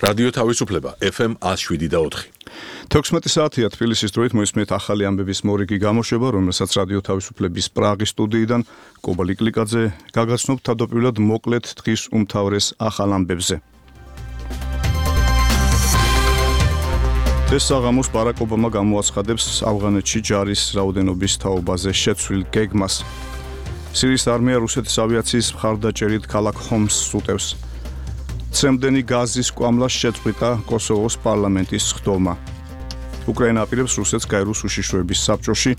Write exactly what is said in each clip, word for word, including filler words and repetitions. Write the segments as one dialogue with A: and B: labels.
A: რადიო თავისუფლება ეფ ემ one oh seven და four.
B: თექვსმეტი საათია თბილისის დროით მოისმენთ ახალი ამბების მორიგი გამოშვება, რომელსაც რადიო თავისუფლების პრაღის სტუდიიდან კობა ლიკლიკაძე გაგაცნობთ თავდაპირველად მოკლედ დღის უმთავრეს ახალ ამბებზე. ეს საღამოს ბარაკ ობამა გამოაცხადებს ავღანეთში ჯარის რაოდენობის თაობაზე შეცვლილ გეგმას. სირიის არმია რუსეთის ავიაციის მხარდაჭერით ქალაქ ჰომსს უტევს. ცემდენი გაზის კვამლას შეწყვიტა კოსოვოს პარლამენტის ხდომა. უკრაინა აპირებს რუსეთს გაეროს უშიშროების საბჭოში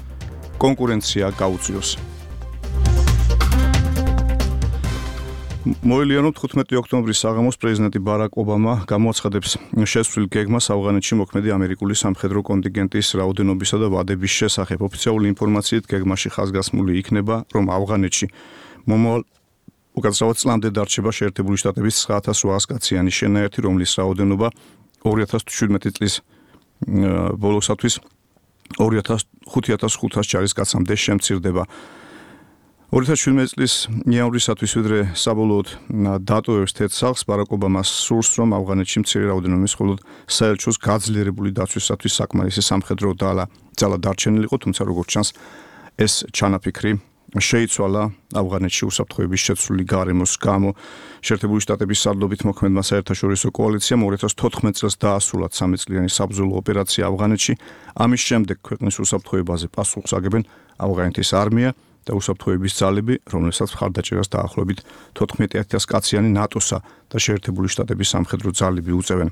B: კონკურენცია გაუწიოს. მოილიანო თხუთმეტი ოქტომბრის საღამოს პრეზიდენტი ბარაკ ობამა გამოაცხადებს შეცვლილ გეგმას ავღანეთში მოქმედი ამერიკული სამხედრო კონტინგენტის რაოდენობისა და ვადების შესახებ. ოფიციალური ინფორმაციით გეგმაში ხაზგასმული იქნება, რომ ავღანეთში მომავალ უკაცრავად წლამდე დარჩება შეერთებული შტატების nine thousand eight hundred კაციანი შენაერთი, რომლის რაოდენობა two thousand seventeen წლის ბოლოსათვის two thousand five hundred ჯარისკაცამდე შემცირდება. two thousand seventeen წლის იანვრისათვის ვიდრე საბოლოოდ დატოვებს თეთრ ბარაკ ობამას სურს, რომ ავღანეთში მცირე რაოდენობის მხოლოდ საელჩოს გაძლიერებული დაცვისათვის საკმარისი სამხედრო ძალა დარჩენილიყო, თუმცა როგორც ჩანს ეს ჩანაფიქრი შეიცვალა ავღანეთში უსაფრთხოების შეცვლილი გარემოს გამო. შეერთებული შტატების სარდლობით მოქმედმა საერთაშორისო კოალიციამ two thousand fourteen წელს დაასრულა ცამეტ წლიანი საბრძოლო ოპერაცია ავღანეთში. ამის შემდეგ ქვეყნის უსაფრთხოებაზე პასუხს აგებენ ავღანეთის არმია და უსაფრთხოების ძალები, რომელსაც მხარდაჭერას დაახლოებით fourteen thousand კაციანი ნატოსა და შეერთებული შტატების სამხედრო ძალები უწევენ.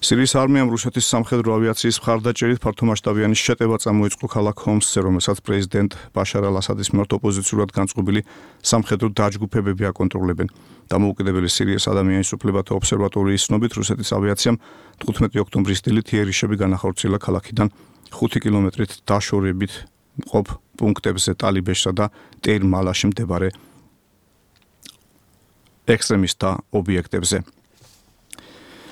B: სირიის არმიამ რუსეთის სამხედრო ავიაციის მხარდაჭერით ფართომასშტაბიანი შეტევა წამოიწყო ქალაქ ჰომსზე, რომელსაც პრეზიდენტ ბაშარ ალ-ასადის მიმართ ოპოზიციურად განწყობილი სამხედრო დაჯგუფებები აკონტროლებენ. დამოუკიდებელი სირიის ადამიანის უფლებათა ობსერვატორიის ცნობით, რუსეთის ავიაციამ თხუთმეტი ოქტომბრის დილით იერიშები განახორციელა ქალაქიდან ხუთი კილომეტრით დაშორებით მყოფ პუნქტებზე ტალიბეშსა და ტეირ-მალაში მდებარე ექსტრემისტთა ობიექტებზე.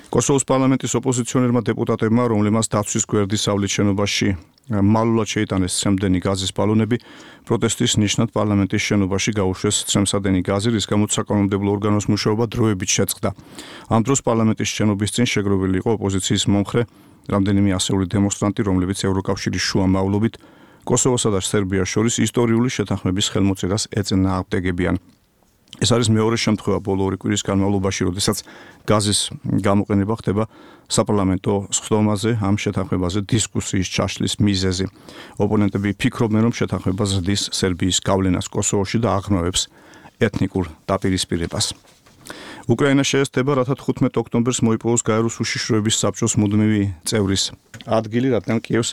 B: კოსოვოს პარლამენტის ოპოზიციონერმა დეპუტატებმა, რომლებმაც დაცვის გვერდისავლით შენობაში მალულად შეიტანეს ცემდენი გაზის ბალონები, პროტესტის ნიშნად პარლამენტის შენობაში გაუშვეს ცემსადენი გაზი, რის გამოც საკანონმდებლო ორგანოს მუშაობა დროებით შეწყდა. ამ დროს პარლამენტის შენობის წინ შეგროვილი იყო ოპოზიციის მომხრე რამდენიმე ასეული დემონსტრანტი, რომლებიც ევროკავშირის შუა მავლობით კოსოვოსა და სერბიას შორის ისტორიული შეთანხმების ხელმოწერას ეწინააღმდეგებიან. ეს არის მეორე შემთხვევა ბოლო ორი კვირის განმავლობაში, როდესაც გაზის გამოყენება ხდება საპარლამენტო სხდომაზე, ამ შეთანხმებაზე დისკუსიის ჩაშლის მიზეზი. ოპონენტები ფიქრობენ, რომ შეთანხმება ზრდის სერბიის გავლენას კოსოვოში და აღრმავებს ეთნიკურ დაპირისპირებას. უკრაინა შეესწება, რათა თხუთმეტ ოქტომბერს მოიპოვოს გაეროს უშიშროების საბჭოს მუდმივი წევრის ადგილი, რადგან კიევს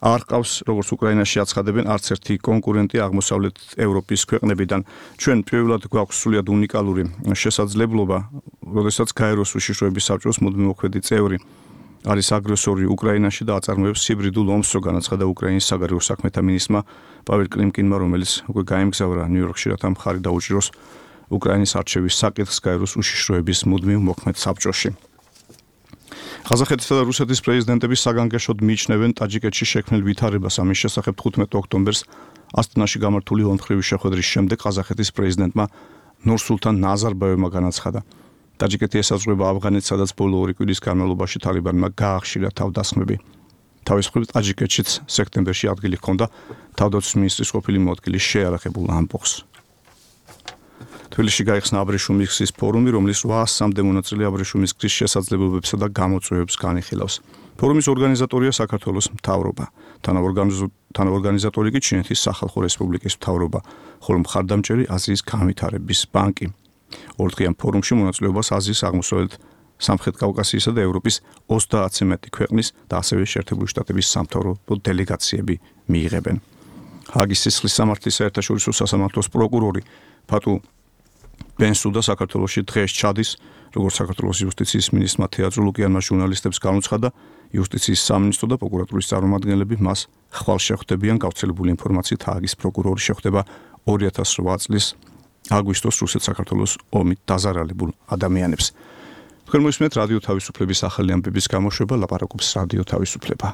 B: არ ყავს, როგორც უკრაინაში აცხადებენ, არც ერთი კონკურენტი აღმოსავლეთ ევროპის ქვეყნებიდან. ჩვენ პირველად გვაქვს სრულიად უნიკალური შესაძლებლობა, როდესაც გაეროს უშიშროების საბჭოს მუდმივი მოქმედი წევრი არის აგრესორი უკრაინაში და აწარმოებს ჰიბრიდულ ომს, რო განაცხადა უკრაინის საგარეო საქმეთა მინისტრმა პაվել კლიმკინმა, რომელიც უკვე გაემგზავრა ნიუ-იორკში, რათა მხარი დაუჭიროს უკრაინის არჩევის საკითხს გაეროს უშიშროების მუდმივ მოქმედ საბჭოში. ყაზახეთისა და რუსეთის პრეზიდენტები საგანგაშოდ მიიჩნევენ ტაჯიკეთში შექმნილ ვითარებას. ამის შესახებ თხუთმეტ ოქტომბერს ასტანაში გამართული ორმხრივი შეხვედრის შემდეგ ყაზახეთის პრეზიდენტმა ნურსულთან ნაზარბაევმა განაცხადა. ტაჯიკეთი ესაზღვრება ავღანეთს, სადაც ბოლო ორი კვირის განმავლობაში თალიბანმა გაახშირა თავდასხმები. თავის მხრივ ტაჯიკეთშიც სექტემბერში ადგილი ჰქონდა თავდაცვის მინისტრის ყოფილი მოადგილის შეარაღებულ ამბოხს. თბილისში გაიხსნა აბრეშუმის გზის ფორუმი, რომლის რვაასამდე მონაწილე აბრეშუმის გზის შესაძლებლობებსა და გამოწვევებს განიხილავს. ფორუმის ორგანიზატორია საქართველოს მთავრობა. თანაორგანიზატორი კი ჩინეთის სახალხო რესპუბლიკის მთავრობა, ხოლო მხარდამჭერი აზიის განვითარების ბანკი. ორდღიან ფორუმში მონაწილეობას აზიის აღმოსავლეთ სამხრეთ კავკასიისა და ევროპის ოცდაათზე მეტი ქვეყნის და ასევე შეერთებული შტატების სამთავრობო დელეგაციები მიიღებენ. ჰაგის სისხლის სამართლის საერთაშორისო სასამართლოს პროკურორი ფატუ ბენსუდა საქართველოში დღეს ჩადის, როგორც საქართველოს იუსტიციის მინისტრმა თეატრ ლუკიანმა ჟურნალისტებს განუცხადა, იუსტიციის სამინისტრო და პროკურატურის წარმომადგენლები მას ხვალ შეხვდებიან. გავრცელებული ინფორმაციით ჰაგის პროკურორი შეხვდება two thousand eight წლის აგვისტოს რუსეთ-საქართველოს ომით დაზარალებულ ადამიანებს. თქვენ მოისმენთ რადიო თავისუფლების ახალი ამბების გამოშვება, ლაპარაკობს რადიო თავისუფლება.